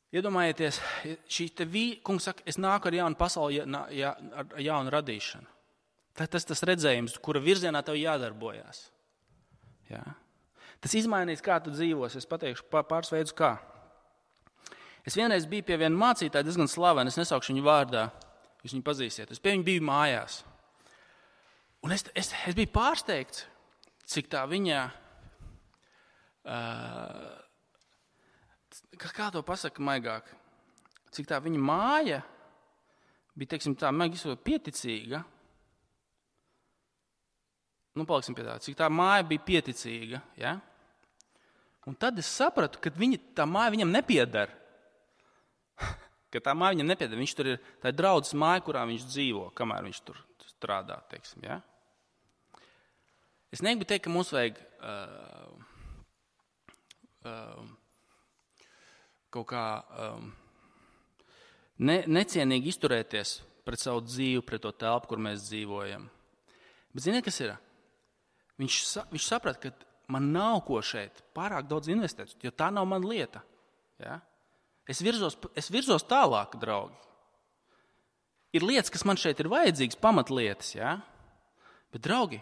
A: Iedomājieties, šī te vī, kungs saka, es nāku ar jaunu pasauli, ja, ja, ar jaunu radīšanu. Tas tas, tas redzējums, kura virzienā tev jādarbojās. Ja? Tas izmainīs, kā tu dzīvos. Es pateikšu pāris veidus, kā. Es vienreiz biju pie viena mācītāja, diezgan slavena, es nesaukšu viņu vārdā, jūs viņu pazīsiet. Es pie viņu biju mājās. Un es, es, es biju pārsteigts, cik tā viņa... Uh, Kā to pasaka maigāk? Cik tā viņa māja bija, teiksim, tā maigi pieticīga. Nu, paliksim pie tā. Cik tā māja bija pieticīga, ja? Un tad es sapratu, ka viņa, tā māja viņam nepieder. Ka tā māja viņam nepieder. Viņš tur ir, tā ir draudzes māja, kurā viņš dzīvo, kamēr viņš tur strādā, teiksim, ja? Es negribu teikt, ka mums vajag... Uh, uh, kaut kā um, ne, necienīgi izturēties pret savu dzīvi, pret to telpu, kur mēs dzīvojam. Bet ziniet, kas ir? Viņš, viņš saprat, ka man nav ko šeit pārāk daudz investēt, jo tā nav mana lieta. Ja? Es, virzos, es virzos tālāk, draugi. Ir lietas, kas man šeit ir vajadzīgas, pamatlietas. Ja? Bet, draugi,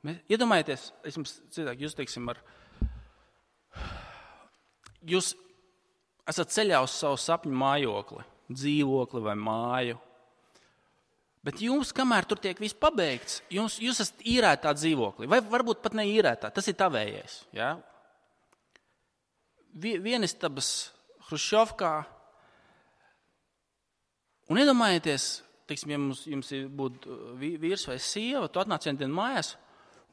A: mēs, iedomājieties, es jums citāk, jūs teiksim ar... Jūs esat ceļā uz savu sapņu mājokli, dzīvokli vai māju. Bet jums, kamēr tur tiek viss pabeigts, jums, jūs esat īrētā dzīvoklī. Vai varbūt pat ne īrētā, tas ir tavējais. Ja? Vienistabas Hruščovkā. Un iedomājieties, teiksim, ja jums, jums būtu vīrs vai sieva, tu atnāc vienu dienu mājās,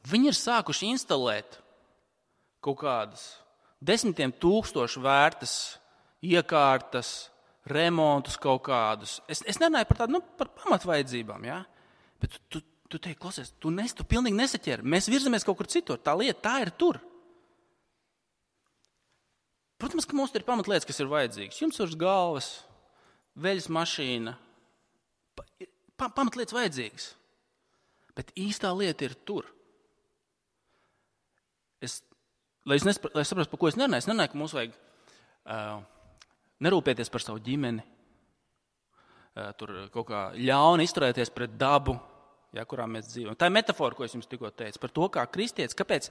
A: viņi ir sākuši instalēt kaut kādas desmitiem tūkstošu vērtas iekārtas, remontus kaut kādus. Es, es nerunāju par tādu, nu, par pamatvajadzībām, ja? Bet tu, tu, tu teiksi, klausies, tu, nes, tu pilnīgi nesaķeri. Mēs virzamies kaut kur citur. Tā lieta, tā ir tur. Protams, ka mums ir pamatlietas, kas ir vajadzīgas. Jums uz galvas, veļas mašīna. Pa, pamatlietas vajadzīgas. Bet īstā lieta ir tur. Es, lai es, nespra, lai es saprastu, par ko es nerunāju, es nerunāju, ka mums vajag... Uh, nerūpēties par savu ģimeni, tur kaut kā ļauni izturēties pret dabu, ja, kurā mēs dzīvojam. Tā ir metafora, ko es jums tikko teicu, par to, kā kristietis, kāpēc,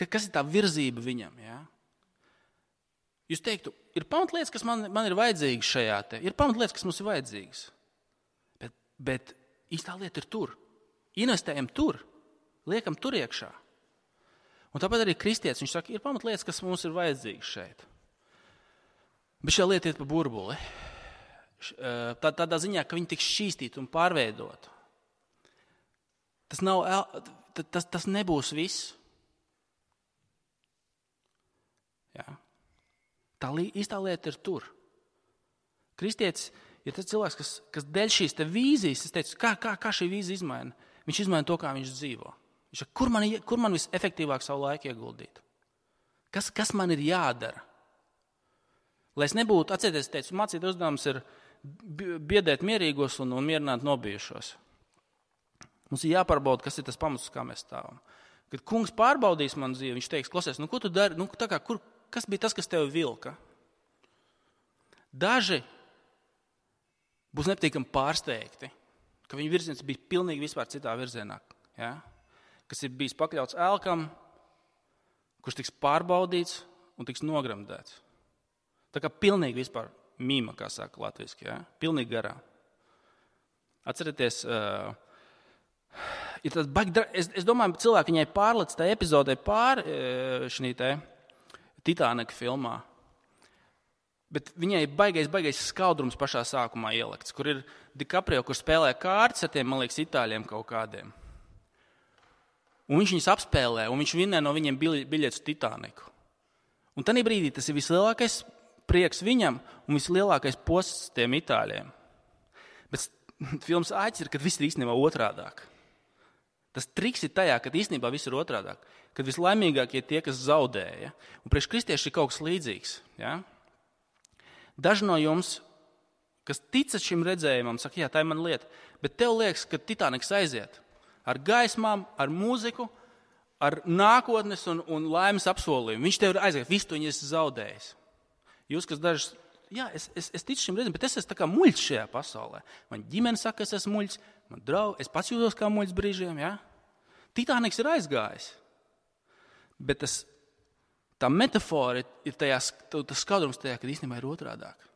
A: kas ir tā virzība viņam. Ja? Jūs teiktu, ir pamatlietas, kas man, man ir vajadzīgas šajā te, ir pamatlietas, kas mums ir vajadzīgas, bet, bet īstā lieta ir tur. Investējam tur, liekam tur iekšā. Un tāpēc arī kristietis, viņš saka, ir pamatlietas, kas mums ir vajadzīgas šeit. Bet šī lieta iet pa burbuli. Tā, tādā ziņā, ka viņi tiks šķīstīti un pārveidot. Tas, nav, tas, tas nebūs viss. Ja? Tā īstā lieta ir tur. Kristietis ir tas cilvēks, kas, kas dēļ šīs te vīzijas, es teicu, kā, kā, kā šī vīzija izmaina? Viņš izmaina to, kā viņš dzīvo. Viņš saka, kur man, kur man visefektīvāk savu laiku ieguldīt? Kas, kas man ir jādara? Lai es nebūtu, atcerieties, es teicu, mācīt uzdevums ir biedēt mierīgos un, un mierināt nobijušos. Mums ir jāpārbauda, kas ir tas pamats, kā mēs stāvam. Kad kungs pārbaudīs man dzīvi, viņš teiks, klausies, nu ko tu dari, nu tā kā, kur, kas bija tas, kas tev vilka? Daži būs nepatīkami pārsteigti, ka viņu virziens bija pilnīgi vispār citā virzienā, ja? Kas ir bijis pakļauts elkam, kurš tiks pārbaudīts un tiks nogramdēts. Tā kā pilnīgi vispār mīma, kā saka latviski, ja? Pilnīgi garām. Atcerieties, uh, ir tas baigi, es, es domāju, cilvēki viņai pārlec tā epizodē pār uh, šī te Titanika filmā. Bet viņai baigais, baigais skaudrums pašā sākumā ielikts, kur ir DiCaprio, kur spēlē kārtas ar tiem, man liekas, itāļiem kaut kādiem. Un viņš viņus apspēlē, un viņš vinnē no viņiem biļetes Titaniku. Un tanī brīdī tas ir vislielākais prieks viņam un vislielākais posts tiem itāļiem. Bet filmas āķis ir, kad viss ir īstenībā otrādāk. Tas triks ir tajā, kad īstenībā viss ir otrādāk. Kad vislaimīgākie tie, kas zaudēja. Un priekš kristieši ir kaut kas līdzīgs. Ja? Daži no jums, kas ticat šim redzējumam, saka, jā, tā ir mana lieta. Bet tev liekas, ka Titaniks aiziet ar gaismām, ar mūziku, ar nākotnes un, un laimes apsolījumu. Viņš tev ir aiziet, visu to viņi esi zaudējis. Jūs, kas dažas, jā, es, es, es ticu šim redzējumam, bet es esmu tā kā muļķis šajā pasaulē. Man ģimene saka, es esmu muļķis, man draugi, es pats jūtos kā muļķis brīžiem, jā. Titaniks ir aizgājis. Bet tas, tā metafora ir tajā, tas skaudrums tajā, kad īstenībā ir otrādāk.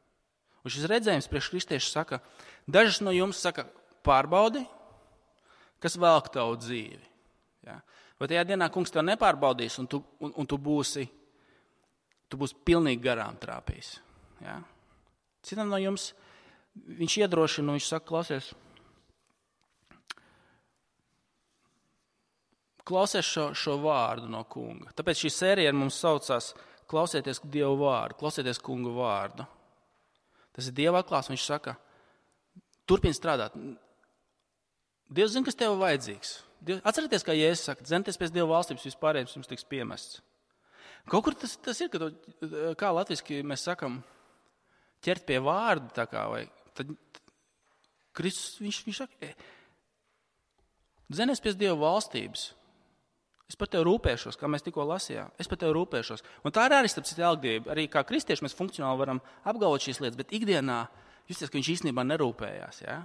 A: Un šis redzējums priekš kristieši saka, dažas no jums saka, pārbaudi, kas velk tavu dzīvi. Ja? Vai tajā dienā kungs tev nepārbaudīs, un tu, un, un tu būsi, tu būsi pilnīgi garām trāpījis. Ja? Citam no jums, viņš iedrošina, viņš saka, klausies, klausies šo, šo vārdu no kunga. Tāpēc šī sērija mums saucās klausieties Dievu vārdu, klausieties kunga vārdu. Tas ir Dieva atklāsmes, viņš saka, turpini strādāt. Dievs zina, kas tev vajadzīgs. Dievs, atcerieties, kā Jēzus saka, dzenieties pēc Dieva valstības, vispārējais jums tiks piemests. Kaut kur tas, tas ir, ka to, kā latviski mēs sakam, ķert pie vārda, tā kā, vai tad Kristus, viņš, viņš saka, dzenies pēc Dieva valstības. Es par tevi rūpēšos, kā mēs tikko lasījām. Es par tevi rūpēšos. Un tā ir arī starp citu elgdība. Arī kā kristieši mēs funkcionāli varam apgalvot šīs lietas, bet ikdienā justies, ka viņš īstenībā nerūpējās. Ja?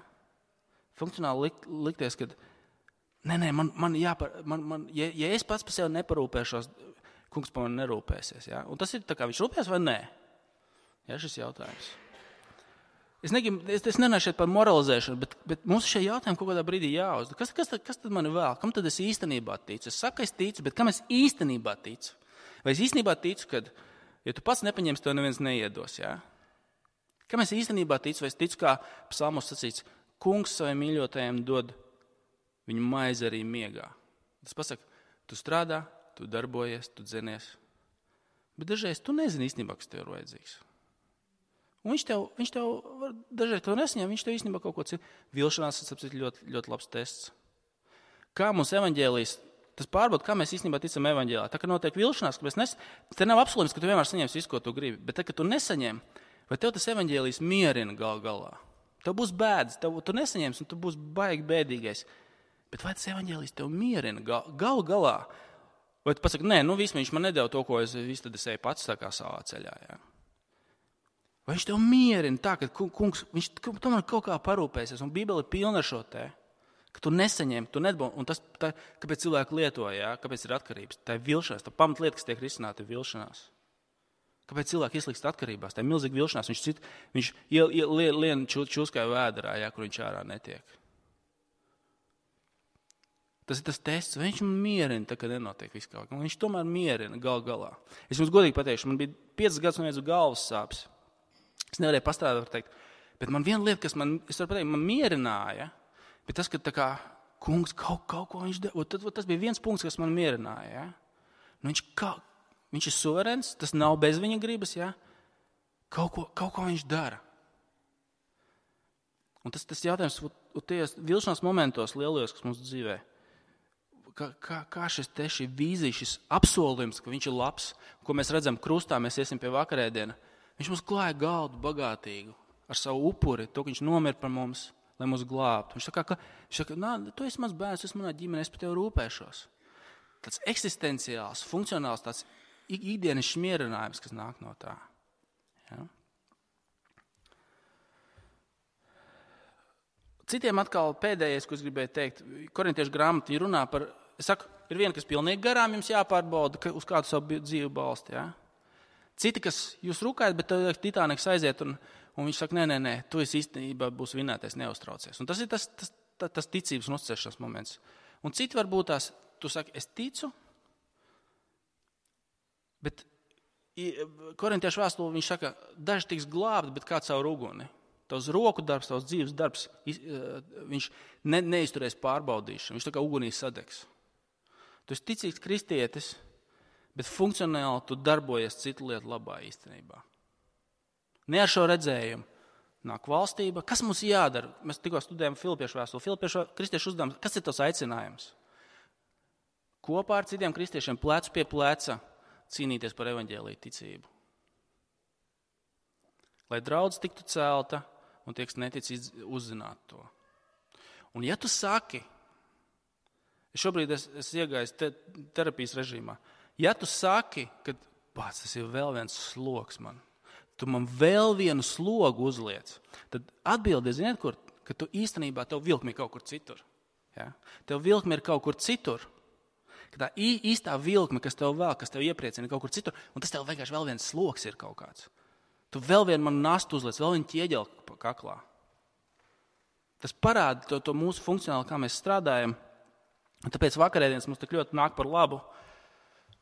A: Funkcionāli likt, likties, ka nē, nē, man, man jāpar, man, man, ja, ja es pats par sevi neparūpēšos, kungs par mani nerūpēsies. Ja? Un tas ir tā kā viņš rūpēs vai nē? Ja, šis jautājums. Es, negribu, es, es nenāšu šeit par moralizēšanu, bet, bet mums šie jautājumi kaut kādā brīdī jāuzdod. Kas, kas, tad, kas tad mani vēl? Kam tad es īstenībā ticu? Es saku, es ticu, bet kam es īstenībā ticu? Vai es īstenībā ticu, ka, ja tu pats nepaņemsi, tev neviens neiedos, jā? Kam es īstenībā ticu? Vai es ticu, kā psalmos sacīts, kungs saviem mīļotajiem dod viņu maizi arī miegā. Tas pasaka, tu strādā, tu darbojies, tu dzenies. Bet dažreiz tu nezini īstenībā, kas tev ir vajadzīgs. Un viņš tev, viņš tev dažreiz, kad nesaņem, viņš tev īstenībā kaut ko citu. Vilšanās ir ļoti, ļoti labs tests. Kā mums evaņģēlijas, tas pārbaud, kā mēs īstenībā ticam evaņģēlā. Tā, ka notiek vilšanās, ka mēs nes, te nav apsolījums, ka tu vienmēr saņemsi visu, ko tu gribi. Bet tā, ka tu nesaņem, vai tev tas evaņģēlijas mierina gal galā. Tev būs bēdas, tev, tu nesaņemsi, un tu būs baigi bēdīgais. Bet vai tas evaņģēlijas tev mierina gal, gal galā? Vai tu pasaki, nē, nu viss viņš man nedēļ to, ko es, visu tad es eju pats tā kā savā ceļā, jā. Vai viņš tev mierina tā, ka kungs, viņš tomēr kaut kā parūpēsies, un Bībele ir pilna ar šo te, ka tu nesaņem, tu nedabū, un tas, tā, kāpēc cilvēki lietoja, jā, kāpēc ir atkarības, tā ir vilšanās, tā pamatlieta, kas tiek risināta, ir vilšanās. Kāpēc cilvēki ieslīgst atkarībās, tā ir milzīga vilšanās, viņš, cit, viņš iel, iel, lien, lien čūskai vēderā, jā, kur viņš ārā netiek. Tas ir tas tests, vai viņš man mierina, tā, ka nenotiek viss kaut kā, viņš tomēr mierina gal galā. Es jums godīgi pateikšu, man bija piecas gadus un viens galvas sāpes. Es nevarēju pastrādāt, var teikt, bet man viena lieta, kas man, es varu pateikt, man mierināja, bet tas, ka tā kā kungs kaut, kaut ko viņš dara, tad, tas bija viens punkts, kas man mierināja, ja? Nu, viņš, kā, viņš ir suverēns, tas nav bez viņa gribas, ja? kaut, ko, kaut ko viņš dara. Un tas, tas jautājums, tajos vilšanās momentos lielajos, kas mums dzīvē, kā, kā, kā šis te šī vīzija, šis apsolījums, ka viņš ir labs, ko mēs redzam krustā, mēs iesim pie vakarēdiena, viņš mums klāja galdu bagātīgu ar savu upuri, to, ka viņš nomir par mums, lai mūs glābtu. Viņš saka, ka, viņš saka, nā, tu esi mans bērns, tu esi manā ģimenē, es par tevi rūpēšos. Tāds eksistenciāls, funkcionāls, tāds ikdienas mierinājums, kas nāk no tā. Ja? Citiem atkal pēdējais, ko es gribēju teikt, korintiešu grāmata runā par, es saku, ir viena, kas pilnīgi garām jums jāpārbauda, uz kādu savu dzīvi balsti, ja? Citi, kas jūs rūkājat, bet tad Titaniks aiziet, un, un viņš saka, nē, nē, nē, tu esi īstenībā būs vinētais, neuztraucies. Un tas ir tas, tas, tas, tas ticības un uzticēšanās moments. Un citi varbūt tās, tu saki, es ticu, bet Korintiešu vēstulē viņš saka, daži tiks glābti, bet kā caur uguni. Tavs roku darbs, tavs dzīves darbs, viņš ne, neizturēs pārbaudīšanu, viņš tā kā ugunī sadegs. Tu esi ticīgs kristietis, bet funkcionāli tu darbojies citu lietu labā īstenībā. Ne ar šo redzējumu. Nāk valstība. Kas mums jādara? Mēs tikko studējam Filipiešu vēstuli. Filipiešu kristiešu uzdevums. Kas ir tas aicinājums? Kopā ar citiem kristiešiem plecu pie pleca cīnīties par evaņģēliju ticību. Lai draudz tiktu celta un tie, kas netic, uzzināt to. Un ja tu saki, šobrīd es, es iegāju te, terapijas režīmā, ja tu saki, ka pats tas ir vēl viens sloks man, tu man vēl vienu slogu uzliec, tad atbildi, ziniet, kur, ka tu īstenībā tev vilkmi kaut kur citur. Ja? Tev vilkmi ir kaut kur citur. Ka tā īstā vilkme, kas tev vēl, kas tev iepriecina kaut kur citur, un tas tev vienkārši vēl viens sloks ir kaut kāds. Tu vēl vienu man nastu uzliec, vēl vienu ķieģeli kaklā. Tas parāda to, to mūsu funkcionāli, kā mēs strādājam. Un tāpēc vakarēdienas mums tik ļoti nāk par labu.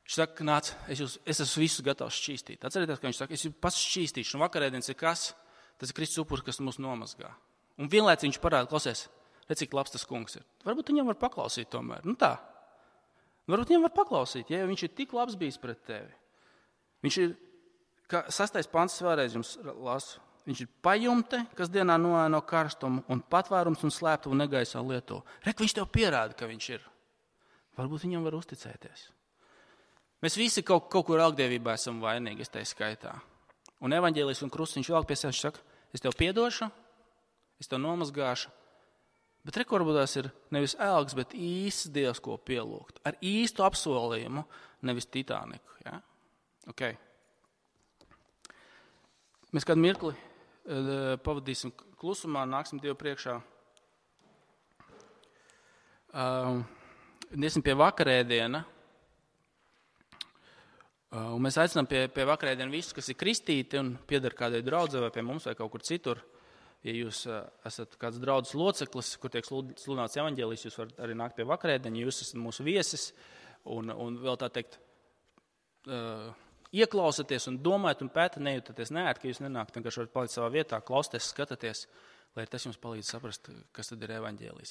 A: Viņš saka, nāc, es, jūs, es esmu visus gatavs šķīstīt. Atcerieties, ka viņš saka, es jūs pats šķīstīšu. Un vakarēdienas ir kas? Tas ir Kristus upuris, kas mūs nomazgā. Un vienlaicīgi viņš parāda, klausies, redz, cik labs tas kungs ir. Varbūt viņam var paklausīt tomēr. Nu tā. Varbūt viņam var paklausīt, ja viņš ir tik labs bijis pret tevi. Viņš ir, kā sastais pants vēlreiz jums lasu, viņš ir pajumte, kas dienā noēno karstumu, un patvērums un slēptuvu negaisā lieto. Rek, viņš tev pierāda, ka viņš ir. Varbūt viņam var uzticēties. Mēs visi kaut, kaut kur algdievībā esam vainīgi, es tai skaitā. Un evaņģēlijs un krustiņš vēl pie sevis, viņš saka, es tev piedošu, es tev nomazgāšu. Bet rekordbūtās ir nevis elgs, bet īsts Dievs, ko pielūgt. Ar īstu apsolījumu, nevis Titaniku. Ja? Okay. Mēs kādu mirkli uh, pavadīsim klusumā, nāksim Dievu priekšā. Uh, Iesim pie vakarēdiena. Uh, un mēs aicinām pie, pie vakarēdiena visus, kas ir kristīti un pieder kādai draudzē vai pie mums vai kaut kur citur. Ja jūs uh, esat kāds draudzes loceklis, kur tiek sludināts evaņģēlijs, jūs varat arī nākt pie vakarēdiena, jūs esat mūsu viesis un, un vēl tā teikt, uh, ieklausaties un domājat un pētat, nejūtaties neēt, ka jūs nenākt, vienkārši varat palikt savā vietā, klausties, skatāties, lai tas jums palīdz saprast, kas tad ir evaņģēlijs.